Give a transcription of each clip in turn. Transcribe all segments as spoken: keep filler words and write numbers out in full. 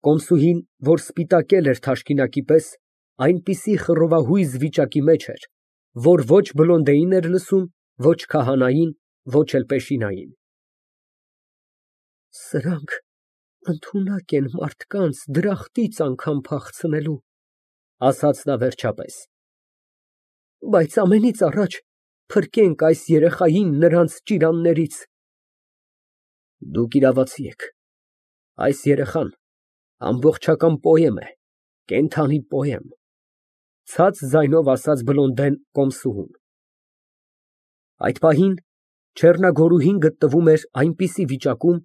Կոմսուհին, որ սպիտակել էր թաշկինակի պես, այնպիսի խռովահույզ վիճակի մեջ էր, որ ոչ Բլոնդեին էր լսում, ոչ քահանային, ոչ էլ Պեշինային։ Սրանք ընդունակ են մարդկանց դրախտից անգամ փախցնելու, ասաց նա վերջապես, բայց ամենից առաջ փրկենք այս երեխային նրանց ճիրաններից։ Դուք իրավացի եք, այս երեխան ամբողջական պոեմ է, կենդանի պոեմ, ցած ձայնով ասաց Բլոնդեն կոմսուհուն։ Այդ պահին Չեռնագորուհին գտնվում էր այնպիսի վիճակում,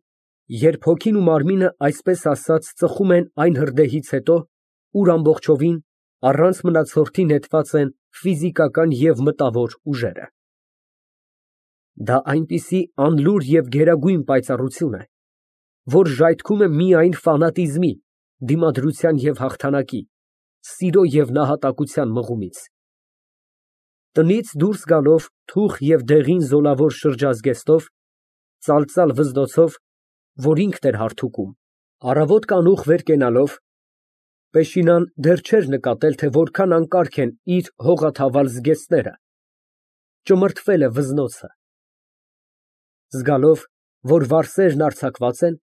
երբ հոգին ու մարմինը այսպես ասած ծխում են այն հրդեհից հետո, ուր ամբողջովին, առանց մնացորդի նետված են ֆիզիկական և մտավոր ուժերը։ Դա այնպիսի անլուր և գերագույն պայծառություն է, որ ժայթքում է միայն ֆանատիզմի, դիմադրության և հաղթանակի, սիրո և նահատակության մղումից։ Տնից դուրս գալով թուխ և դեղին զոլավոր շրջազգեստով, ծալծալ վզնոցով, որ ինքն էր հարթուկում, առավոտ կանուխ վեր կենալով, Պեշինան դեռ չէր նկատել, թե որքան անկարգ են իր հողաթավալ զգեստները, ճմրթվել է վզնոցը։ Զգալով, որ վարսերն արձակված են,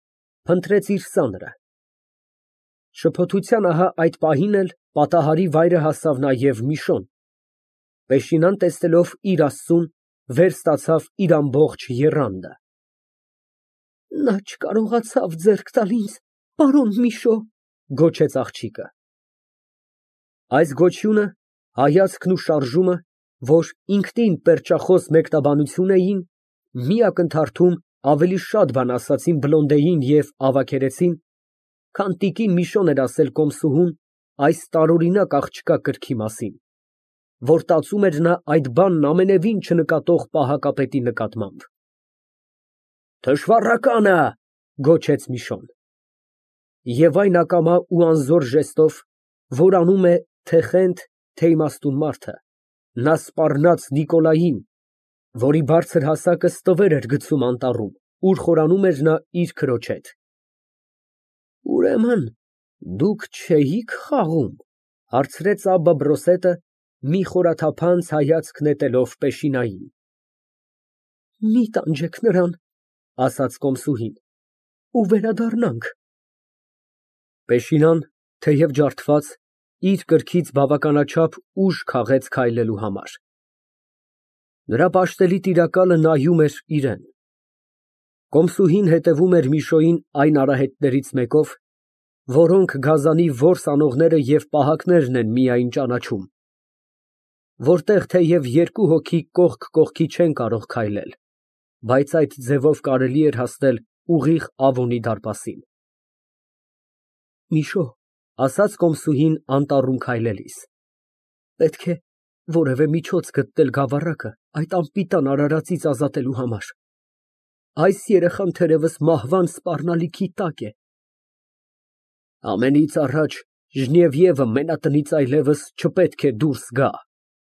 փնտրեց իր սանրը։ Շփոթության ահա այդ պահին էլ պատահարի վայրը հասավ նաև Միշոն։ Պեշինան տեսնելով իր Աստծուն, վեր ստացավ իր ամբողջ եռանդը։ Նա չկարողացավ ձեռք տալ ինձ, պարոն Միշո, գոչեց աղջիկը։ Այս գոչյունը, հայացքն ու շարժումը, որ ինքնին պերճախոս մեկնաբանություն էին, մի ակնթարթում ավելի շատ բան ասացին Բլոնդեին և ավագերեցին, քան տիկին Միշոն էր ասել կոմսուհուն այս տարօրինակ աղջկա կրքի մասին, որ տածում էր նա այդ բանն ամենևին չնկատող պահակապետի նկատմամբ։ Թշվառականը, գոչեց Միշոն։ Եվ այն ակամա ու անզոր ժեստով, որ անում է թե խենթ, թե իմաստուն մարդը, նա սպառնաց Նիկոլային, որի բարձր հասակը ստվեր էր գցում անտառում, ուր խորանում էր նա իր քրոջ հետ։ Ուրեմն դուք չէի՞ք խաղում, հարցրեց Աբբա բրոսետը, մի խորաթափանց հայացք նետելով Պեշինային։ Մի տանջեք նրան, ասաց կոմսուհին, ու վերադառնանք։ Պեշինան, թեև ջարդված, իր կրքից բավականաչափ ուժ քաղեց քայլելու համար։ Նրա պաշտելի տիրակալը նայում էր իրան։ Կոմսուհին հետևում էր Միշոյին այն արահետներից մեկով, որոնք գազանի որս անողները և պահակներն են միայն ճանաչում, որտեղ թեև երկու հոգի կողք կողքի չեն կարող քայլել, բայց այդ ձևով կարելի էր հասնել ուղիղ Ավոնի դարպասին։ Միշո, ասաց կոմսուհին անտառում քայլելիս, պետք է որևէ միջոց գտնել գավառակը այդ անպիտան արարածից ազատելու համար։ Այս երեխան թերևս մահվան սպառնալիքի տակ է։ Ամենից առաջ Ժնևիևը մենատնից այլևս չպետք է դուրս գա,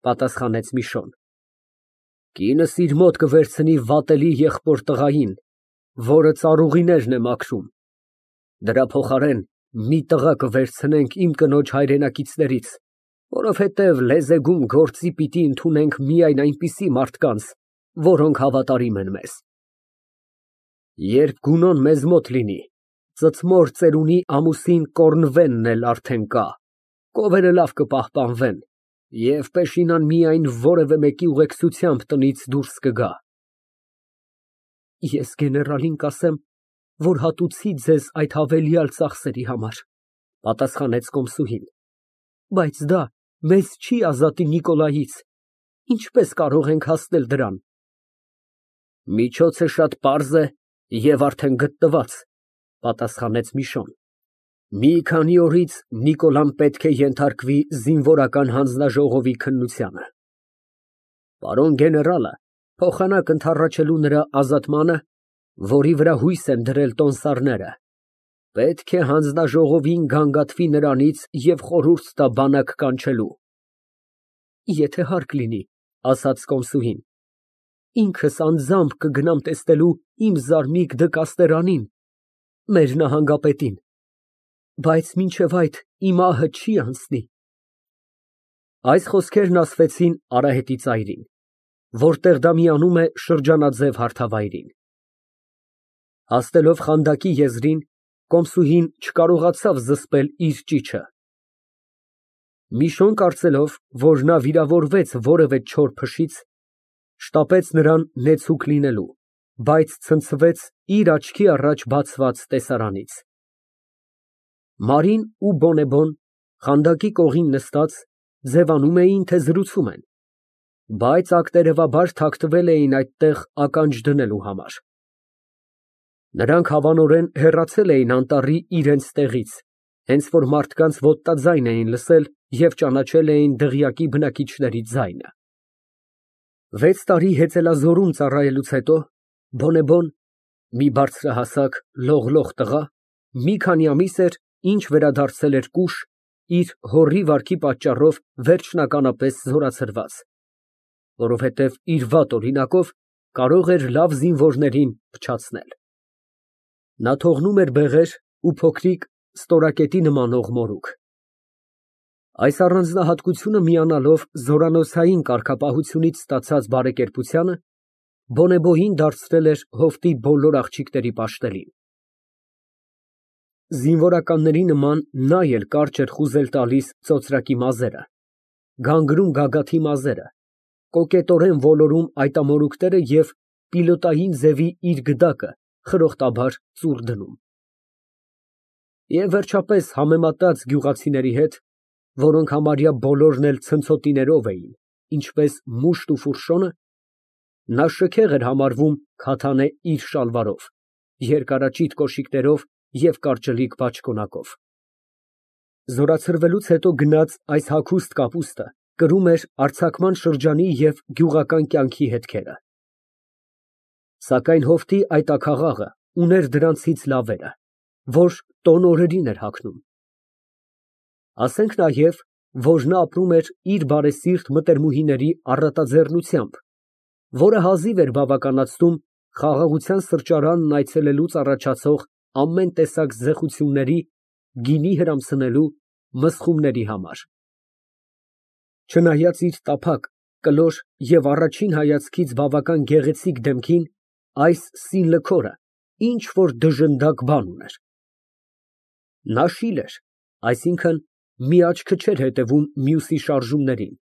պատասխանեց Միշոն։ Կինս իր մոտ կվերցնի վատելի եղբոր տղային, որը ծառուղիներն է մաքրում։ Դրա փոխարեն մի տղա կվերցնենք իմ կնոջ հայրենակիցներից, որովհետև լեզեգում գործի պիտի ընդունենք միայն այնպիսի մարդկանց, որոնք հավատարիմ են մեզ։ Երբ Գունոն մեզ մոտ լինի, ծծմոր ծերունի ամուսին Կոռնվենն էլ արդեն կա, կովերը լավ կպահպանվեն, և Պեշինան միայն որևէ մեկի ուղեկցությամբ տնից դուրս կգա։ Ես գեներալին կասեմ, որ հատուցի ձեզ այդ հավելյալ ծախսերի համար, պատասխանեց կոմսուհին, բայց դա մեզ չի ազատի Նիկոլայից, ինչպես կարող ենք հասնել դրան։ Միջոցը շատ պարզ է և արդեն գտնված, պատասխանեց Միշոն։ Մի քանի օրից Նիկոլան պետք է ենթարկվի զինվորական հանձնաժողովի քննությանը։ Պարոն գեներալը փոխանակ ընդառաջելու նրա ազատմանը, որի վրա հույս են դրել տոմսարները, պետք է հանձնաժողովին գանգատվի նրանից և խորհուրդ տա բանակ կանչելու։ Եթե հարկ լինի, ասաց կոմսուհին, ինքս անձամբ կգնամ տեսնելու իմ զարմիկ դկաստերանին, մեր նահանգապետին։ Բայց մինչև այդ իմ ահը չի անցնի։ Այս խոսքերն ասվեցին արահետի ծայրին, որտեղ դա միանում է շրջանաձև հարթավայրին։ Հասնելով խանդակի եզրին, կոմսուհին չկարողացավ զսպել իր ճիչը։ Մի շոն կարծելով, որ նա վիրավորվեց որևէ չոր փշից, շտապեց նրան նեցուկ լինելու, բայց ցնցվեց իր աչքի առաջ բացված տեսարանից։ Մարին ու Բոնեբոն խանդակի կողին նստած, ձևանում էին, թե զրուցում են, բայց ակտերևաբար թաքնվել էին այդտեղ ականջ դնելու համար։ Նրանք հավանորեն հեռացել էին անտառի իրենց տեղից, հենց որ մարդկանց ոտնաձայն էին լսել և ճանաչել էին դղյակի բնակիչների ձայնը։ Վեց տարի հեծելազորում ծառայելուց հետո Բոնեբոն, մի բարձրահասակ, լողլող տղա, մի քանի ամիս էր, ինչ վերադարձել էր կուշ, իր հորի վարքի պատճառով վերջնականապես զորացրված, որովհետև իր վատ օրինակով կարող էր լավ զինվորներին փչացնել։ Նա թողնում էր բեղեր ու փոքրիկ ստորակետի նմանող մորուք։ Այս առանձնահատկությունը միանալով զորանոցային կարգապահությունից ստացած բարեկերպությանը, Բոնեբոյին դարձրել էր հովտի բոլոր աղջիկների պաշտելին։ Զինվորականների նման նա էլ կարճ էր խուզել տալիս ծոծրակի մազերը, գանգրում գագաթի մազերը, կոկետորեն ոլորում այտամորուքները և պիլոտային ձևի իր գդակը խրոխտաբար ծուռ դնում։ Եվ վերջապես համեմատած գյուղացիների հետ, որոնք համարյա բոլորն էլ ցնցոտիներով էին, ինչպես մուշտ ու ֆուրշոնը, նա շքեղ էր համարվում քաթանե իր շալվարով, երկարաճիտ կոշիկներով և կարճլիկ բաճկոնակով։ Զորացրվելուց հետո գնած այս հագուստ կապուստը կրում էր արձակման շրջանի և գյուղական կյանքի հետքերը։ Սակայն հովտի այդ աքաղաղը ուներ դրանցից լավերը, որ տոն օրերին էր հագնում։ Ասենք նաև, որ նա ապրում էր իր բարեսիրտ մտերմուհիների առատաձեռնությամբ, որը հազիվ էր բավականացնում խաղաղության սրճարանն այցելելուց առաջացող ամեն տեսակ զեղչությունների, գինի հրամցնելու, մզխումների համար։ Չնայած իր տափակ, կլոր և առաջին հայացքից բավական գեղեցիկ դեմքին, այս սինլքորը ինչ որ դժնդակ բան ուներ։ Նա շիլ էր, այսինքն՝ մի աչքը չէր հետևում մյուսի շարժումներին։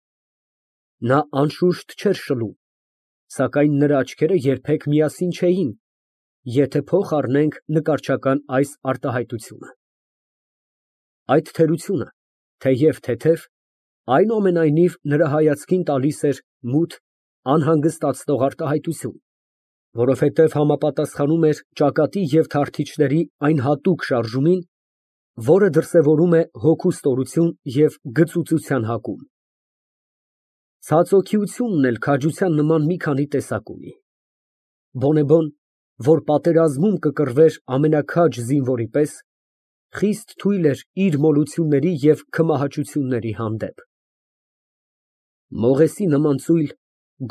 Նա անշուշտ չէր շլում, սակայն նրա աչքերը երբեք միասին չէին, եթե փող առնենք նկարչական այս արտահայտությունը։ Այդ թերությունը, թեև թեթև, այնուամենայնիվ նրա հայացքին տալիս էր մութ, անհանգստացնող արտահայտություն, որովհետև համապատասխանում էր ճակատի և թարթիչների այն հատուկ շարժումին, որը դրսևորում է հոգու ստորություն և գծուծության հակում։ Ցածօգիությունն էլ քաջության նման մի քանի տեսակ ունի։ Բոնեբոն, որ պատերազմում կկռվեր ամենաքաջ զինվորի պես, խիստ թույլ էր իր մոլությունների և քմահաճությունների հանդեպ։ Մողեսի նման ծույլ,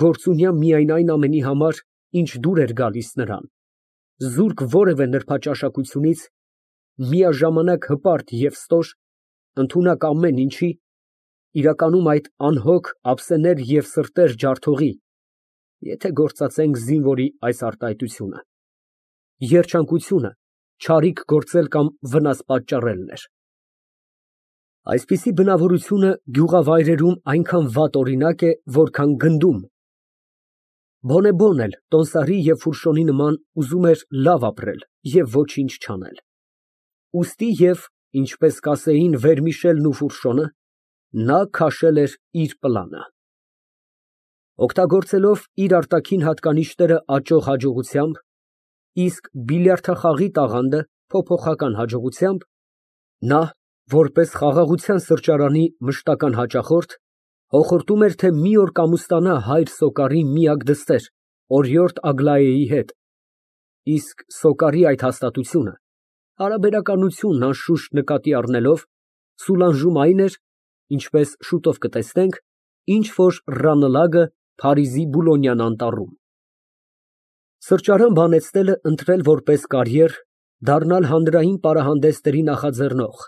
գործունյա միայն այն ամենի համար, ինչ դուր էր գալիս նրան, զուրկ որևէ նրբաճաշակությունից, միաժամանակ հպարտ և ստոր, ընդունակ ամեն ինչի, իրականում այդ անհոգ ափսեներ և սրտեր ջարդողի (եթե գործածենք զինվորի այս արտահայտությունը) երջանկությունը չարիք գործել կամ վնաս պատճառելն էր։ Այսպիսի բնավորությունը գյուղավայրերում այնքան վատ օրինակ է, որքան գնդում։ Բոնեբոն էլ տոնդարի և ֆուրշոնի նման ուզում էր լավ ապրել և ոչինչ չանել։ Ուստի և, ինչպես կասեին Վերմիշելն ու Ֆուրշոնը, նա քաշել էր իր պլանը։ Օգտագործելով իր արտաքին հատկանիշները աճող հաջողությամբ, իսկ բիլիարդախաղի տաղանդը փոփոխական հաջողությամբ, նա, որպես խաղաղության սրճարանի մշտական հաճախորդ, հոխորտում էր, թե մի օր կամուստանա հայր Սոկարի միակ դստեր՝ օրիորդ Ագլայեի հետ, իսկ Սոկարի այդ հաստատությունը, հարաբերականությունն անշուշտ նկատի առնելով, Սուլանժում այն էր, ինչպես շուտով կտեսնենք, ինչ որ Ռանլագը Փարիզի Բուլոնյան անտառում։ Սրճարան բանեցնելը ընտրել որպես կարիեր Դառնալ հանրային պարահանդեսների նախաձեռնող։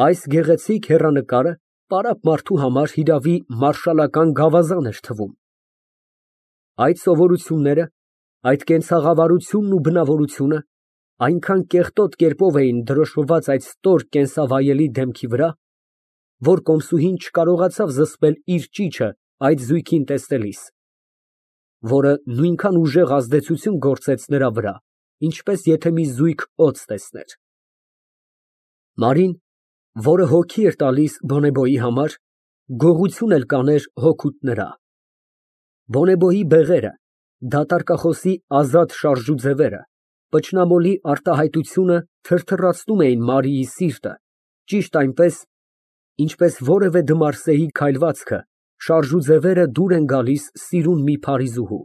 Այս գեղեցիկ հեռանկարը պարապ մարդու համար հիրավի մարշալական գավազան էր թվում։ Այդ սովորությունները, այդ կենցաղավարությունն ու բնավորությունը այնքան կեղտոտ կերպով էին դրոշմված այդ ստոր կենսավայելի դեմքի վրա, որ կոմսուհին չկարողացավ զսպել իր ճիչը այդ զույգին տեսնելիս, որը նույնքան ուժեղ ազդեցություն գործեց նրա վրա, ինչպես եթե մի զույգ օձ տեսներ։ Մարին, որը հոգի էր տալիս Բոնեբոյի համար, գողություն էլ կաներ հոգուդ նրա։ Բոնեբոյի բեղերը, դատարկախոսի ազատ շարժու ձևերը, պճնամոլի արտահայտությունը թրթռացնում էին Մարիի սիրտը, ճիշտ այնպես, ինչպես որևէ դմարսեի քայլվածքը շարժու ձևերը դուր են գալիս սիրուն մի փարիզուհու։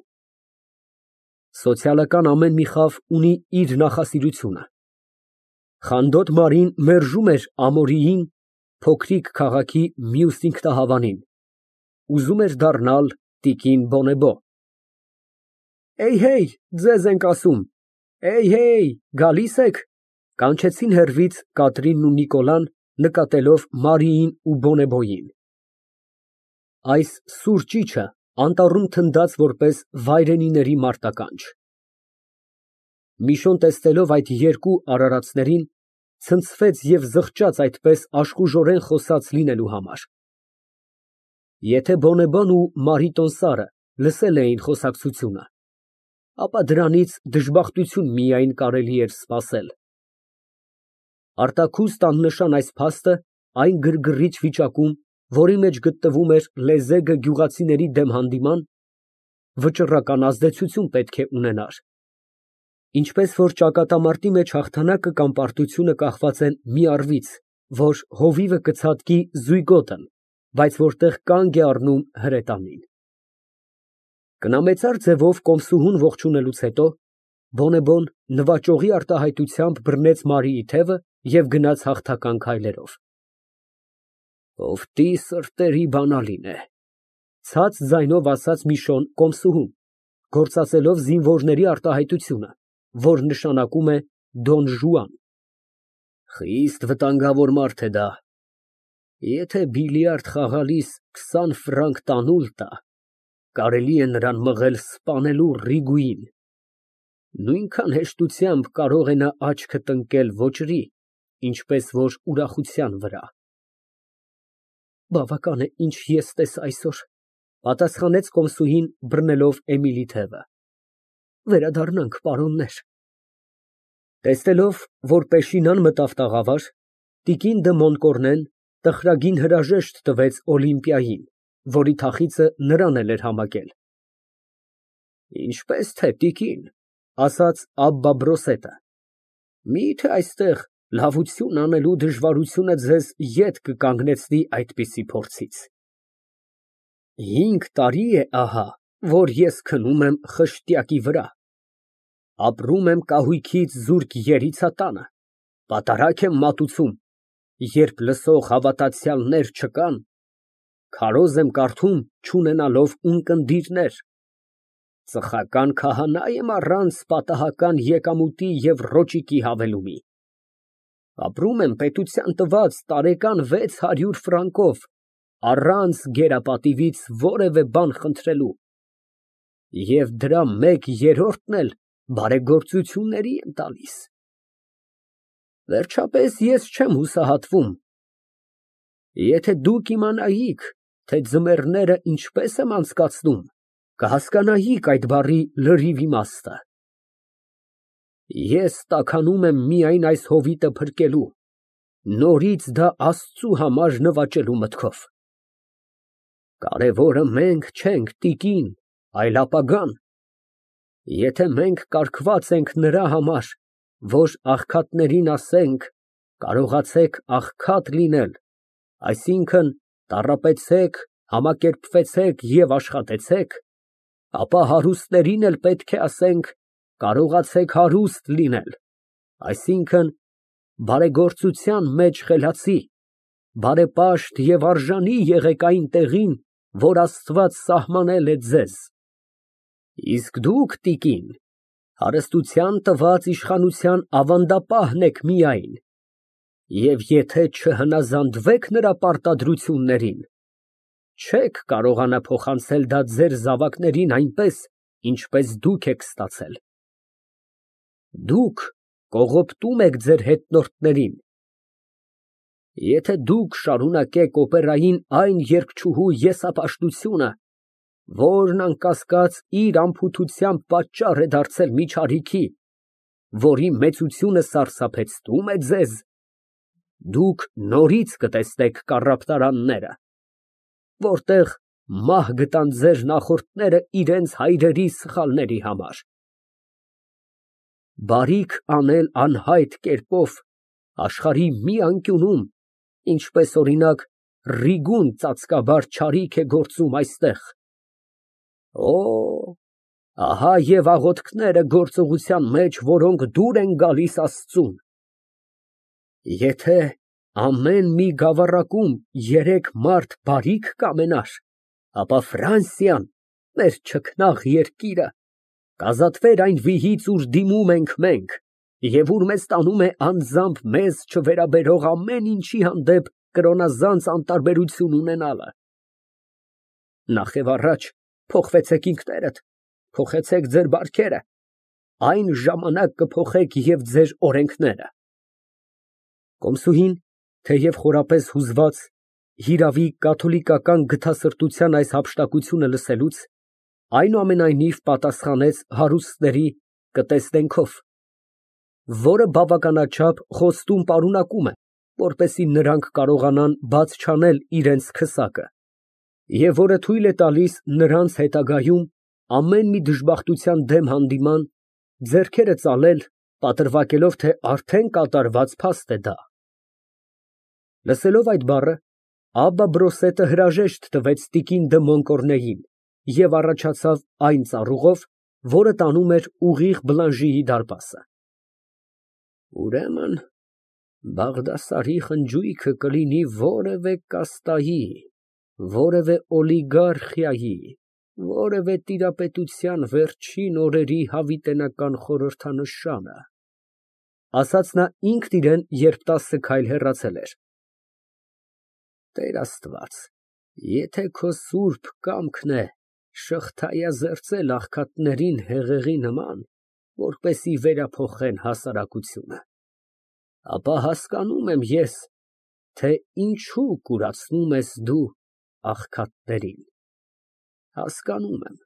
Սոցիալական ամեն մի խավ ունի իր նախասիրությունը։ Խանդոտ Մարին մերժում էր Ամորիին, փոքրիկ քաղաքի մյուս ինքնահավանին, ուզում էր դառնալ տիկին Բոնեբո։ Էյ, ձեզ ենք ասում, էյ, գալի՞ս եք, կանչեցին հեռվից Կատրինն ու Նիկոլան, նկատելով Մարիին ու Բոնեբոյին։ Այս սուր ճիչը անտառում թնդաց որպես վայրենիների մարտականջ։ Միշոն տեսնելով այդ երկու արարածներին, ցնցվեց և զղջաց այդպես աշխուժորեն խոսած լինելու համար։ Եթե Բոնեբոն ու Մարիտոնսարը լսել էին խոսակցությունը, ապա դրանից դժբախտություն միայն կարելի էր սպասել։ Արտաքուստ աննշան այս փաստը այն գրգռիչ վիճակում, որի մեջ գտնվում էր լեզեգը գյուղացիների դեմ հանդիման, վճռական ազդեցություն պետք է ունենար։ Ինչպես որ ճակատամարտի մեջ հաղթանակը կամ պարտությունը կախված են մի առվից, որ հովիվը կցատկի զույգոտն, բայց որտեղ կանգ է առնում հրետանին։ Կնամեծար ձևով կոմսուհուն ողջունելուց հետո Բոնեբոն նվաճողի արտահայտությամբ բռնեց Մարիի թևը և գնաց հաղթական քայլերով։ Ով սրտերի բանալին է, ցած ձայնով ասաց Միշոն կոմսուհուն, գործածելով զինվորների արտահայտությունը, որ նշանակում է Դոն Ժուան։ Խիստ վտանգավոր մարդ է դա։ Եթե բիլիարդ խաղալիս քսան ֆրանկ տանուլ տա, կարելի է նրան մղել սպանելու Ռիգուին։ Նույնքան հեշտությամբ կարող է նա աչքը տնկել ոճրի, ինչպես որ ուրախության վրա։ Բավական է, ինչ ես տեսա այսօր, պատասխանեց կոմսուհին, բռնելով Էմիլի թևը։ Վերադառնանք, պարոններ։ Տեսնելով, որ Պեշինան մտավ տաղավար, տիկին դը Մոնկորնեն տխրագին հրաժեշտ տվեց Օլիմպիային, որի թախիծը նրան էլ էր համակել։ Ինչպես թե տիկին, ասաց Աբբա Բրոսետը, միթե այստեղ լավություն անելու դժվարությունը ձեզ ետ կկանգնեցնի այդպիսի փորձից։ Հինգ տարի է ահա, որ ես քնում եմ խշտյակի վրա, ապրում եմ կահույքից զուրկ երիցատանը, պատարագ եմ մատուցում, երբ լսող հավատացյալներ չկան, քարոզ եմ կարդում չունենալով ունկնդիրներ, ծխական քահանա եմ առանց պատահական եկամուտի և ռոճիկի հավելումի, ապրում եմ պետության տված տարեկան վեց հարյուր ֆրանկով, առանց գերապատիվից որևէ բան խնդրելու, և դրա մեկ երրորդն էլ բարեգործությունների եմ տալիս։ Վերջապես ես չեմ հուսահատվում։ Եթե դուք իմանայիք, թե ձմեռները ինչպես եմ անցկացնում, կհասկանայիք այդ բառի լրիվ իմաստը։ Ես տաքանում եմ միայն այս հովիտը փրկելու, նորից դա Աստծու համար նվաճելու մտքով։ Կարևորը մենք չենք, տիկին, այլ ապագան։ Եթե մենք կարգված ենք նրա համար, որ աղքատներին ասենք, կարողացեք աղքատ լինել, այսինքն տառապեցեք, համակերպվեցեք և աշխատեցեք, ապա հարուստներին էլ պետք է ասենք, կարողացեք հարուստ լինել, այսինքն բարեգործության մեջ խելացի, բարեպաշտ և արժանի եղեք այն տեղին, որ Աստված սահմանել է ձեզ։ Իսկ դուք, տիկին, Հարստության տված իշխանության ավանդապահն եք միայն, և եթե չհնազանդվեք նրա պարտադրություններին, չեք կարողանա փոխանցել դա ձեր զավակներին այնպես, ինչպես դուք եք ստացել։ Դուք կողոպտում եք ձեր հետնորդներին։ Եթե դուք շարունակեք օպերային այն երգչուհու եսապաշտությունը, որն անկասկած իր անփութությամբ պատճառ է դարձել միջարիքի, որի մեծությունը սարսափեցնում է ձեզ, դուք նորից կտեսնեք կառապտարանները, որտեղ մահ գտան ձեր նախորդները իրենց հայրերի սխալների համար։ Բարիք անել անհայտ կերպով աշխարհի մի անկյունում, ինչպես, օրինակ, Ռիգուն ծածկաբար չարիք է գործում այստեղ։ Օ, ահա և աղոթքները գործողության մեջ, որոնք դուր են գալիս Աստծուն։ Եթե ամեն մի գավառակում երեք մարդ բարիք կամենար, ապա Ֆրանսիան, մեր չքնաղ երկիրը, կազատվեր այն վիհից, ուր դիմում ենք մենք, և ուր մեզ տանում է անձամբ մեզ չվերաբերող ամեն ինչի հանդեպ կրոնազանց անտարբերություն ունենալը։ Նախ և առաջ փոխվեցեք ինքներդ, փոխեցեք ձեր բարքերը, այն ժամանակ կփոխեք և ձեր օրենքները։ Կոմսուհին, թեև խորապես հուզված, հիրավի, կաթոլիկական գթասրտության այս հափշտակությունը լսելուց, այնուամենայնիվ պատասխանեց հարուստների կտեսնենքով, որը բավականաչափ խոստում պարունակում է, որպեսզի նրանք կարողանան բաց չանել իրենց քսակը, և որը թույլ է տալիս նրանց հետագայում ամեն մի դժբախտության դեմ հանդիման ձեռքերը ծալել, պատրվակելով, թե արդեն կատարված փաստ է դա։ Լսելով այդ բառը, Աբբա Բրոսետը հրաժեշտ տվեց տիկին դը Մոնկորնեին և առաջացավ այն ծառուղով, որը տանում էր ուղիղ Բլանժիի դարպասը։ Ուրեմն Բաղդասարի խնջույքը կլինի որևէ կաստայի, որևէ օլիգարխիայի, որևէ տիրապետության վերջին օրերի հավիտենական խորհրդանշանը, ասաց նա ինքն իրան, երբ տասը քայլ հեռացել էր։ Տեր Աստված, եթե քո սուրբ կամքն է շղթայազերծել աղքատներին հեղեղի նման, որպեսզի վերափոխեն հասարակությունը, ապա հասկանում եմ ես, թե ինչու կուրացնում ես դու աղքատներին, հասկանում եմ։